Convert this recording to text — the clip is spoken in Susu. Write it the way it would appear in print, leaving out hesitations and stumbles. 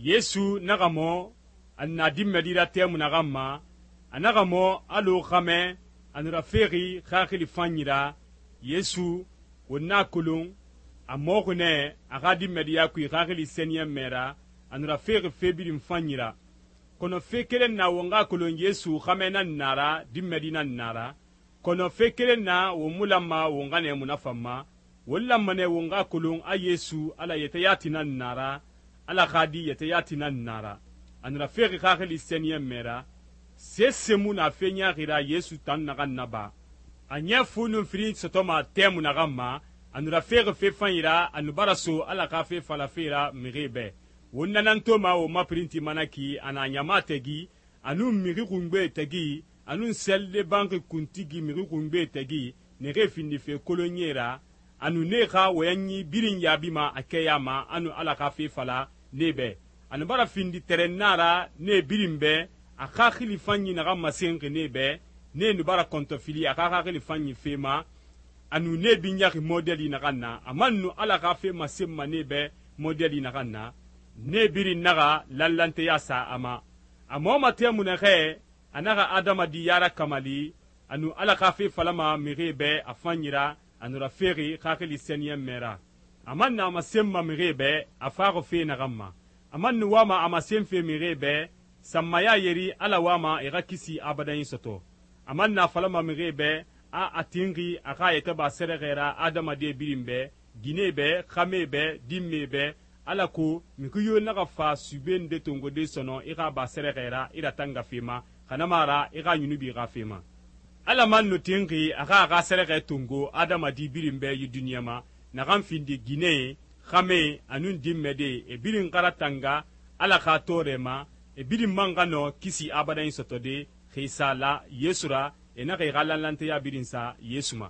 Yesu naxa mo a na dinmɛdi ra tɛmui naxan ma, a naxa mo alɔ xamɛ a nu rafexi xaxili fanyi ra. Yesu won na kolon a moxi nɛ a xa dinmɛdiya kui xaxili sɛniyɛnmɛ ra, a nu rafexi fe birin fanyi ra. Kɔnɔ fe keren na won xa kolon Yesu xamɛ nan na ra, dinmɛdi nan na ra. Kɔnɔ fe keren na won mu lanma won xa nɛɛmu na fan ma. Won lanma nɛ won xa kolon a Yesu Ala yɛtɛ yati nan na ra, Ala xa di yɛtɛ yati nan na ra. A nu rafexi xaxili sɛniyɛnmɛ ra. Sese mu na fe ɲaaxi ra Yesu tan naxan naba. A ɲɛ fu nun firin sɔtɔma tɛmui naxan ma, a nu rafexi fe fanyi ra, a nu bara so Ala xa fe falafe ra mixie bɛ. Won na nan toma won ma pirinti mana ki, a na ɲama tagi, a nun mixi xungbe tagi, a nun sɛride banxi kuntigi mixi xungbe tagi, naxee findife kolonyie ra, a nu nee xa wɔyɛnyi birin yaabima a kɛya ma, a nu Ala xa fe fala nee bɛ. A nu bara findi tɛrɛnna ra nee birin bɛ, a xaxili fanyi naxan masenxi nee bɛ, nee nu bara kɔntɔfili a xa xaxili fanyi fe ma, a nu nee binyaxi modeli naxan na, a man nu Ala xa fe masenma nee bɛ modeli naxan na, nee birin naxa lanlanteya sa a ma. A mɔma tɛmui naxɛ a naxa adamadiya rakamali, a nu Ala xa fe falama mixie bɛ a fanyi ra, a nu rafexi xaxili sɛniyɛnmɛ ra. A man nu a masenma mixie bɛ a faxi fe naxan ma. A man nu wama a masenfe mixie bɛ sanmaya yeri Ala wama e xa kisi abadanyi sɔtɔ. A man na falama mixie bɛ a tinxi a xa yɛtɛ ba sɛrɛxɛ ra adamade birin bɛ, ginee bɛ, xame bɛ, dinme bɛ, alako mixi yo naxa fa sube nde tongode sɔnɔ i xa ba sɛrɛxɛ ra i ratanga fe ma, xanama ra i xa yunubi xa fe ma. Ala man nu tinxi a xa sɛrɛxɛ tongo adamadi birin bɛ yi duniya ma, naxan findi ginee, xame, a nun dinmɛde, e birin xara tanga Ala xa tɔɔrɛ ma, e birin man xa nɔ kisi abadanyi sɔtɔde, xisa la Yesu ra, e naxa i xa lanlanteya birin sa Yesu ma.